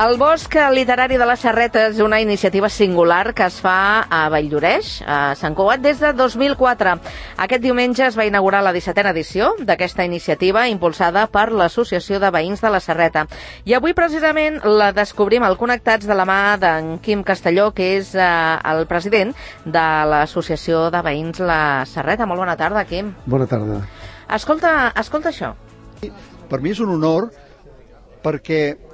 El Bosc Literari de la Serreta és una iniciativa singular que es fa a Valldoreix, a Sant Cugat, des de 2004. Aquest diumenge es va inaugurar la 17a edició d'aquesta iniciativa impulsada per l'Associació de Veïns de la Serreta. I avui, precisament, la descobrim al Connectats de la mà d'en Quim Castelló, que és el president de l'Associació de Veïns la Serreta. Molt bona tarda, Quim. Bona tarda. Escolta això. Per mi és un honor perquè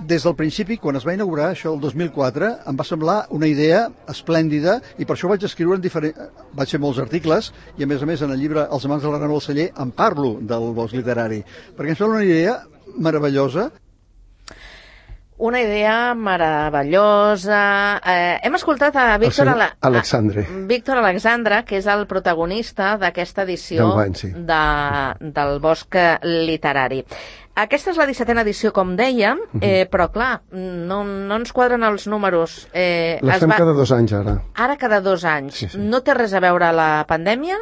des del principi, quan es va inaugurar això el 2004, em va semblar una idea esplèndida i per això vaig escriure vaig fer molts articles i a més en el llibre Els amants de l'Arnau del Celler em parlo del bosc literari, perquè em sembla una idea meravellosa. Una idea meravellosa. Hem escoltat a Víctor Alexandre, que és el protagonista d'aquesta edició del Bosc Literari. Aquesta és la 17a edició, com dèiem, però clar, no ens quadren els números. La fem cada 2 anys, ara. Ara cada 2 anys. Sí. No té res a veure la pandèmia?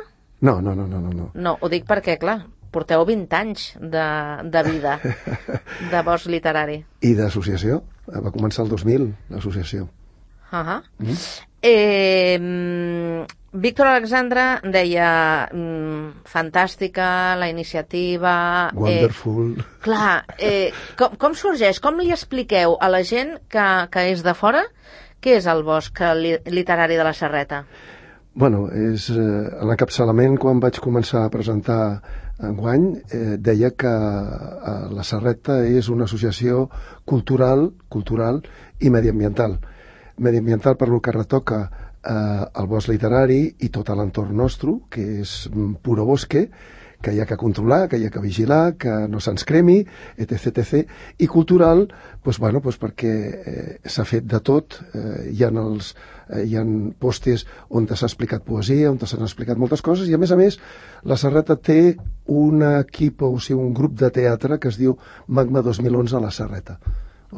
No. No, ho dic perquè, clar, porteu 20 anys de vida de Bosc Literari. I d'associació. Va començar el 2000, l'associació. Víctor Alexandre deia fantàstica la iniciativa, wonderful. Clar, com sorgeix? Com li expliqueu a la gent que és de fora què és el Bosc Literari de la Serreta? Bueno, és l'encapçalament. Quan vaig començar a presentar enguany, deia que la Serreta és una associació cultural i mediambiental. Mediambiental per lo que retoca el bosc literari i tot l'entorn nostre, que és puro bosque, que hi ha que controlar, que hi ha que vigilar, que no se'ns cremi, etc. I cultural, perquè s'ha fet de tot. Hi ha postes on s'ha explicat poesia, on s'han explicat moltes coses, i a més, la Serreta té un equip, o sigui, un grup de teatre que es diu Magma 2011 a la Serreta.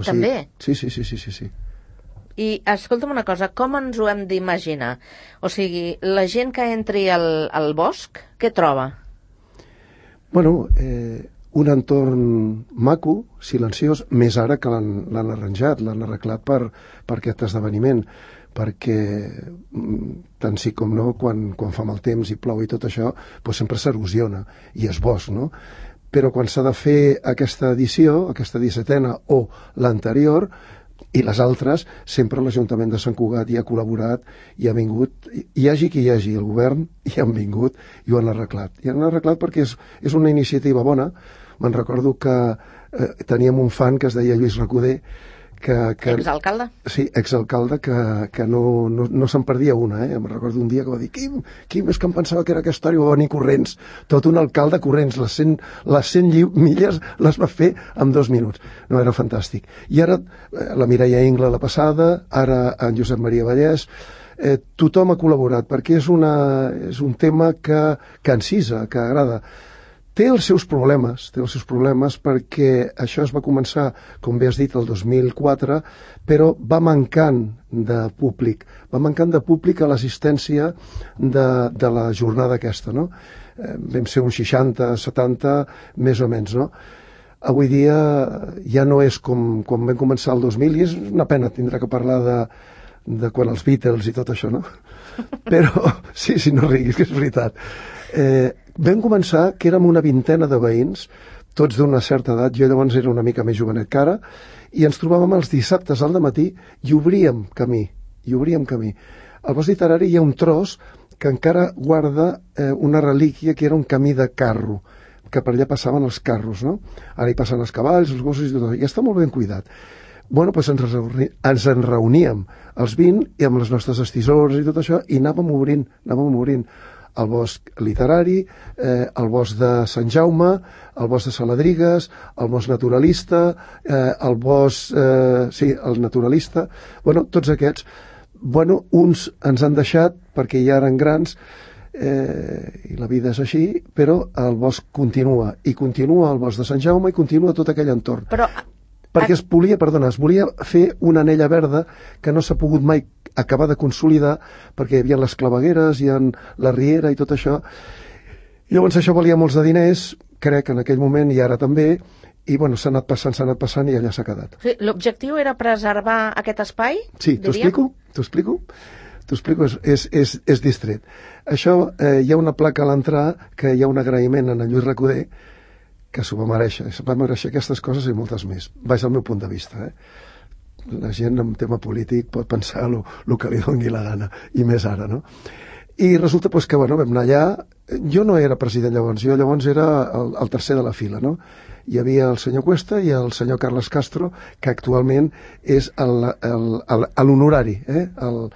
També? Sí. I escolta'm una cosa, com ens ho hem d'imaginar? O sigui, la gent que entri al bosc, què troba? Bueno, un entorn maco, silenciós, més ara que l'han arranjat, l'han arreglat per aquest esdeveniment, perquè tant sí com no, quan fa mal temps i plou i tot això, sempre s'erosiona, i és bosc, no? Però quan s'ha de fer aquesta edició, aquesta 17a o l'anterior, i les altres, sempre l'Ajuntament de Sant Cugat hi ha col·laborat i ha vingut, hi hagi qui hi hagi, el govern hi han vingut i ho han arreglat. I han arreglat perquè és una iniciativa bona. Me'n recordo que teníem un fan que es deia Lluís Recoder, exalcalde? Sí, exalcalde, que no se'n perdia una. Em recordo un dia que va dir Quim, és que em pensava que era aquesta hora, i va venir corrents, tot un alcalde corrents, les 100 milles les va fer en 2 minuts. No, era fantàstic. I ara la Mireia Ingla la passada, ara en Josep Maria Vallès, tothom ha col·laborat, perquè és un tema que encisa, que agrada. Té els seus problemes perquè això es va començar, com bé has dit, el 2004, però va mancant de públic. Va mancant de públic a l'assistència de la jornada aquesta, no? Vam ser uns 60, 70, més o menys, no? Avui dia ja no és com vam començar el 2000, i és una pena tindrà que parlar de quan els Beatles i tot això, no? Però, sí, no riguis, que és veritat. Vam començar que érem una 20a de veïns, tots d'una certa edat, jo llavors era una mica més jovenet que ara, i ens trobàvem els dissabtes al dematí i obríem camí. Al bosc literari hi ha un tros que encara guarda una relíquia que era un camí de carro, que per allà passaven els carros, no? Ara hi passen els cavalls, els gossos i tot, i està molt ben cuidat. Bueno, ens en reuníem els 20 i amb les nostres estissores i tot això, i anàvem obrint el bosc literari, el bosc de Sant Jaume, el bosc de Saladrigues, el bosc naturalista, el bosc... el naturalista... Bueno, tots aquests. Bueno, uns ens han deixat perquè ja eren grans, i la vida és així, però el bosc continua. I continua el bosc de Sant Jaume i continua tot aquell entorn. Perquè es volia fer una anella verda que no s'ha pogut mai acabar de consolidar, perquè hi havia les clavegueres, hi ha la riera i tot això. I llavors això valia molts de diners, crec, en aquell moment, i ara també, i bueno, s'ha anat passant i allà s'ha quedat. Sí, l'objectiu era preservar aquest espai? Sí, t'ho explico? És distret. Això, hi ha una placa a l'entrar que hi ha un agraïment a en Lluís Recoder que s'ho va mereixer. Se va mereixer aquestes coses i moltes més. Vaig al meu punt de vista, La gent en tema polític pot pensar el que li doni la gana, i més ara, no? I resulta que, bueno, vam anar allà. Jo no era president llavors, jo llavors era el tercer de la fila, no? Hi havia el senyor Cuesta i el senyor Carles Castro, que actualment és l'honorari, el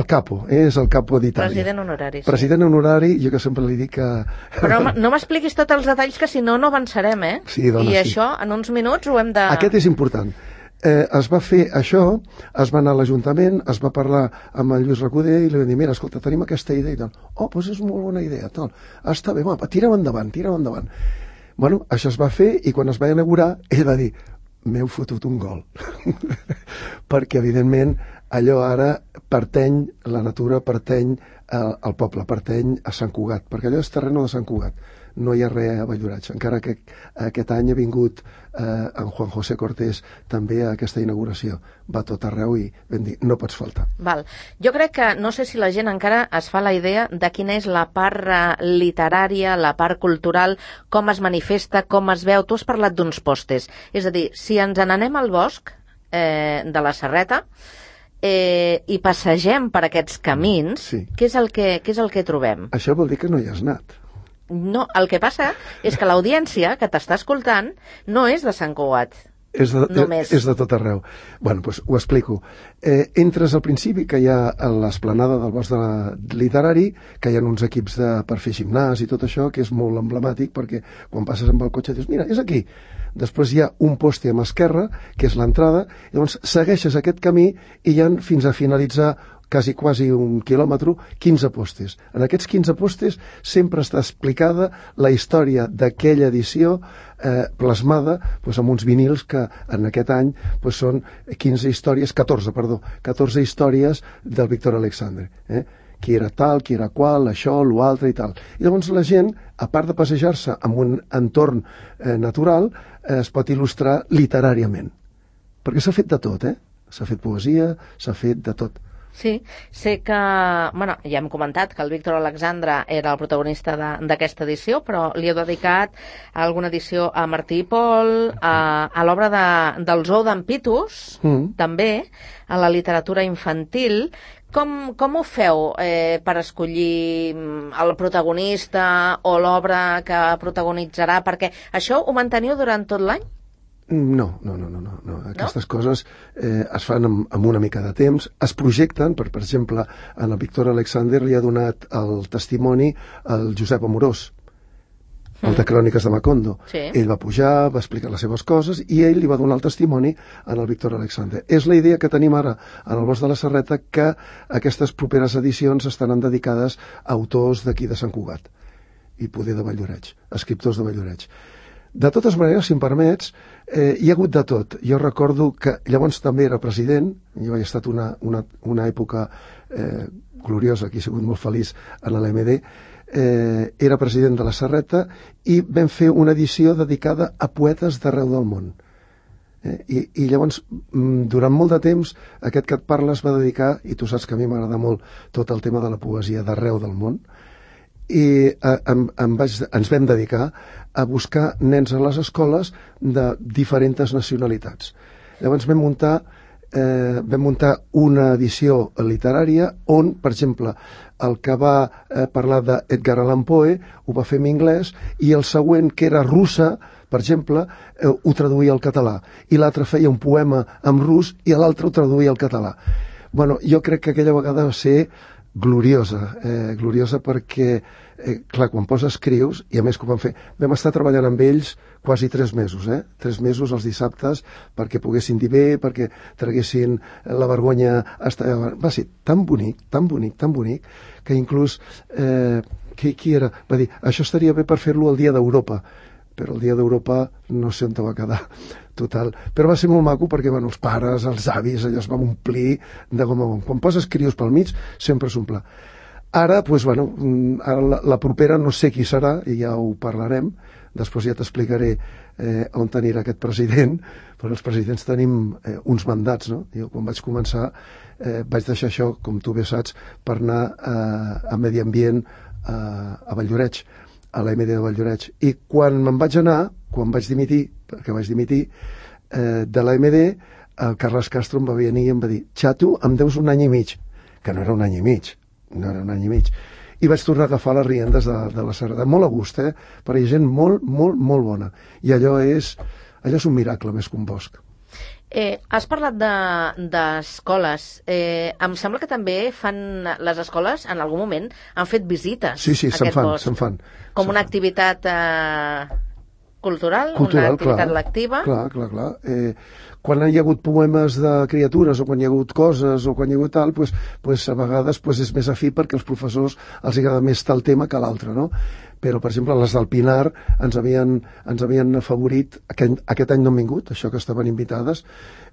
capo, és el capo d'Itàlia. President honorari. Sí. President honorari, jo que sempre li dic que... Però no m'expliquis tots els detalls, que si no avançarem, Sí, dona, I sí. això, en uns minuts, ho hem de... Aquest és important. Es va fer això, es va anar a l'Ajuntament, es va parlar amb el Lluís Recoder i li van dir, mira, escolta, tenim aquesta idea i tal. Oh, doncs és molt bona idea, tal. Està bé, va, tira'm endavant. Bueno, això es va fer i quan es va inaugurar, ell va dir, m'heu fotut un gol. Perquè, evidentment, allò ara pertany, la natura pertany al poble, pertany a Sant Cugat, perquè allò és terreno de Sant Cugat. No hi ha res a Valldoreix, encara que aquest any ha vingut en Juan José Cortés també a aquesta inauguració. Va tot arreu i vam dir, no pots faltar. Val. Jo crec que, no sé si la gent encara es fa la idea de quina és la part literària, la part cultural, com es manifesta, com es veu. Tu has parlat d'uns postes. És a dir, si ens n'anem al bosc de la Serreta i passegem per aquests camins, sí. Què és el que trobem? Això vol dir que no hi has anat. No, el que passa és que l'audiència que t'està escoltant no és de Sant Cugat. És de tot arreu. Bueno, doncs ho explico. Entres al principi, que hi ha a l'esplanada del bosc literari, que hi ha uns equips per fer gimnàs i tot això, que és molt emblemàtic, perquè quan passes amb el cotxe dius, mira, és aquí. Després hi ha un poste a mà esquerra, que és l'entrada, i llavors segueixes aquest camí i hi ha fins a finalitzar quasi 1 quilòmetre, 15 postes. En aquests 15 postes sempre està explicada la història d'aquella edició plasmada amb uns vinils que en aquest any són 14 històries del Víctor Alexandre. Qui era tal, qui era qual, això, l'altre i tal. I llavors la gent, a part de passejar-se en un entorn natural, es pot il·lustrar literàriament. Perquè s'ha fet de tot, S'ha fet poesia, s'ha fet de tot. Sí, sé que, ja hem comentat que el Víctor Alexandre era el protagonista d'aquesta edició, però li heu dedicat alguna edició a Martí i Pol, a l'obra del Zoo d'en Pitus, també, a la literatura infantil. Com ho feu per escollir el protagonista o l'obra que protagonitzarà? Perquè això ho manteniu durant tot l'any? No. Aquestes coses es fan amb una mica de temps, es projecten, per exemple, en el Víctor Alexander li ha donat el testimoni al Josep Amorós, el de Cròniques de Macondo. Sí. Ell va pujar, va explicar les seves coses i ell li va donar el testimoni al Víctor Alexander. És la idea que tenim ara en el Bosc de la Serreta, que aquestes properes edicions estaran dedicades a autors d'aquí de Sant Cugat i poder de Valldoreix, escriptors de Valldoreix. De totes maneres, si em permets, hi ha hagut de tot. Jo recordo que llavors també era president, jo he estat una època gloriosa, que he sigut molt feliç en l'MD, era president de la Serreta i vam fer una edició dedicada a poetes d'arreu del món. I llavors, durant molt de temps, aquest que et parla es va dedicar, i tu saps que a mi m'agrada molt tot el tema de la poesia d'arreu del món, i ens vam dedicar a buscar nens a les escoles de diferents nacionalitats. Llavors vam muntar una edició literària on, per exemple, el que va parlar d'Edgar Allan Poe ho va fer en anglès i el següent, que era russa, per exemple, ho traduïa al català, i l'altre feia un poema en rus i l'altre ho traduïa al català. Bueno, jo crec que aquella vegada va ser gloriosa perquè, clar, quan escrius, i a més que ho vam fer, vam estar treballant amb ells quasi 3 mesos, 3 mesos els dissabtes perquè poguessin dir bé, perquè traguessin la vergonya. Va ser tan bonic, que inclús qui era? Va dir, això estaria bé per fer-lo el dia d'Europa, però el dia d'Europa no sé on va quedar, total. Però va ser molt maco perquè els pares, els avis, allò es va omplir de gom a gom. Quan poses crios pel mig, sempre s'omple. Ara, doncs, bueno, ara la propera no sé qui serà, i ja ho parlarem, després ja t'explicaré on anirà aquest president, però els presidents tenim uns mandats, no? Jo quan vaig començar vaig deixar això, com tu bé saps, per anar a Medi Ambient a Valldoreix, a l'AMD de Valldoreix. I quan me'n vaig anar, quan vaig dimitir, perquè vaig dimitir, de l'AMD, el Carles Castro em va venir i em va dir: xato, em deus 1 any i mig, que no era 1 any i mig, no era 1 any i mig. I vaig tornar a agafar les riendes de la Serreta. Molt a gust, perquè hi ha gent molt, molt, molt bona. I allò és un miracle més que un bosc. Has parlat d'escoles. Em sembla que també fan les escoles, en algun moment, han fet visites sí, a aquest bosc. Se'n fan. Com una activitat cultural, una activitat lectiva. Clar. Quan hi ha hagut poemes de criatures o quan hi ha hagut coses o quan hi ha hagut tal, pues a vegades és més afí perquè als professors els agrada més tal tema que l'altre, no? Però, per exemple, les del Pinar ens havien afavorit, aquest any no han vingut, això que estaven invitades,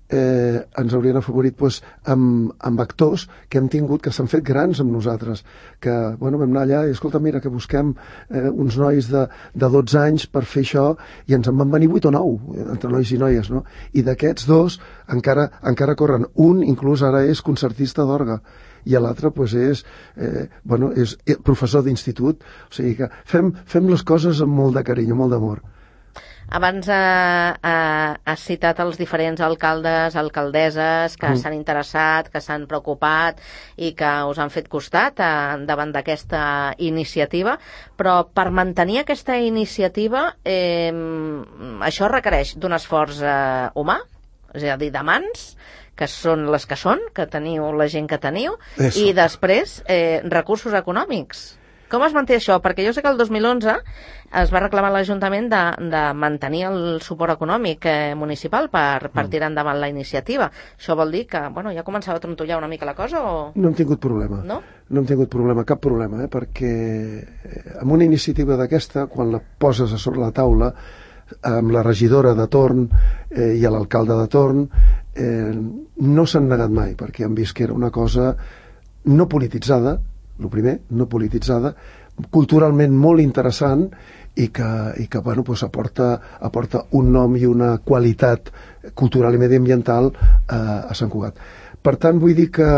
ens haurien afavorit amb actors que hem tingut, que s'han fet grans amb nosaltres, que vam anar allà i, escolta, mira, que busquem uns nois de 12 anys per fer això, i ens en van venir 8 o 9, entre nois i noies, no? I d'aquests 2 encara corren. Un, inclús, ara és concertista d'orgue, i l'altre és professor d'institut. O sigui que fem les coses amb molt de carinyo, molt d'amor. Abans has citat els diferents alcaldes, alcaldesses que s'han interessat, que s'han preocupat i que us han fet costat davant d'aquesta iniciativa, però per mantenir aquesta iniciativa això requereix d'un esforç humà, és a dir, de mans, que són les que són, que teniu la gent que teniu, i després recursos econòmics. Com es manté això? Perquè jo sé que el 2011 es va reclamar a l'Ajuntament de mantenir el suport econòmic municipal per tirar endavant la iniciativa. Això vol dir que ja començava a trontollar una mica la cosa o...? No hem tingut problema. No? No hem tingut problema, cap problema, perquè amb una iniciativa d'aquesta, quan la poses a sobre la taula, amb la regidora de torn i l'alcalde de torn, no s'han negat mai, perquè han vist que era una cosa no polititzada, el primer, no polititzada, culturalment molt interessant i que aporta un nom i una qualitat cultural i mediambiental a Sant Cugat. Per tant, vull dir que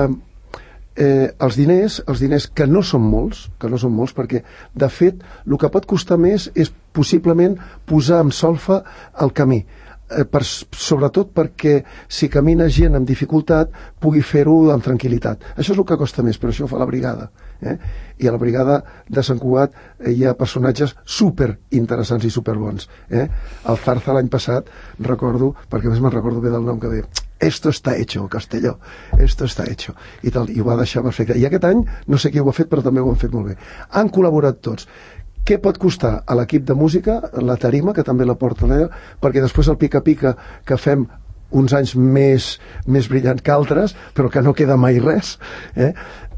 els diners que no són molts, perquè de fet el que pot costar més és possiblement posar en solfa el camí, sobretot perquè si camina gent amb dificultat pugui fer-ho amb tranquil·litat. Això és el que costa més, però això ho fa la brigada, i a la brigada de Sant Cugat hi ha personatges super interessants i super bons. El Zarza l'any passat recordo, perquè a més me'n recordo bé del nom, que deia: esto está hecho, Castelló, esto está hecho, i tal, i ho va deixar perfecte. I aquest any no sé qui ho ha fet, però també ho han fet molt bé. Han col·laborat tots. Què pot costar a l'equip de música, la tarima, que també la porta l'ella, perquè després el pica-pica, que fem uns anys més brillants que altres, però que no queda mai res,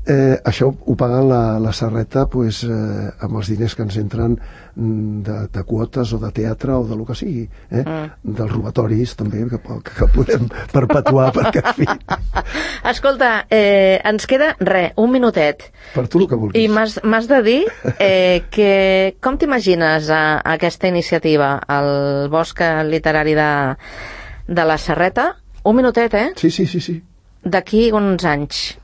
això ho paga la Serreta amb els diners que ens entren de quotes o de teatre o de lo que sigui, dels robatoris també, que podem perpetuar, perquè en fi. Escolta, ens queda un minutet. Per tu el que vulguis. I m'has de dir com t'imagines aquesta iniciativa, el Bosc Literari de la Serreta? Un minutet, Sí. D'aquí uns anys.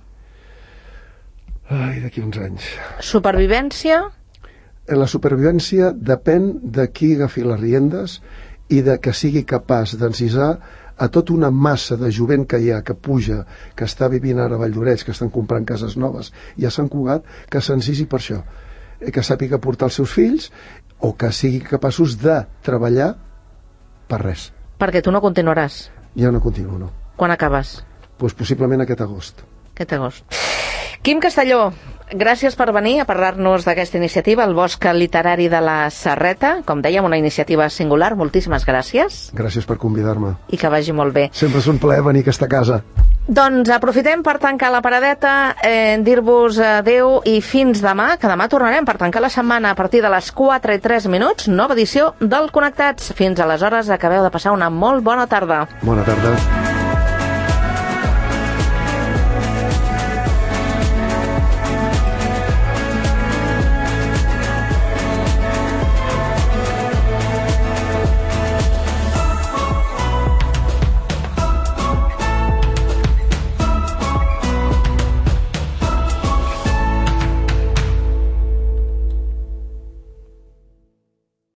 Ai, d'aquí uns anys. Supervivència? La supervivència depèn de qui agafi les riendes i de que sigui capaç d'encisar a tota una massa de jovent que hi ha, que puja, que està vivint ara a Valldoreix, que estan comprant cases noves, i a Sant Cugat, que s'encisi per això, que sàpiga portar els seus fills o que sigui capaços de treballar per res. Perquè tu no continuaràs. Ja no continuo, no. Quan acabes? Doncs possiblement aquest agost. Quim Castelló, gràcies per venir a parlar-nos d'aquesta iniciativa, el Bosc Literari de la Serreta. Com dèiem, una iniciativa singular. Moltíssimes gràcies. Gràcies per convidar-me. I que vagi molt bé. Sempre és un plaer venir a aquesta casa. Doncs aprofitem per tancar la paradeta, dir-vos adeu i fins demà, que demà tornarem per tancar la setmana a partir de les 4:03, nova edició del Connectats. Fins aleshores, acabeu de passar una molt bona tarda. Bona tarda.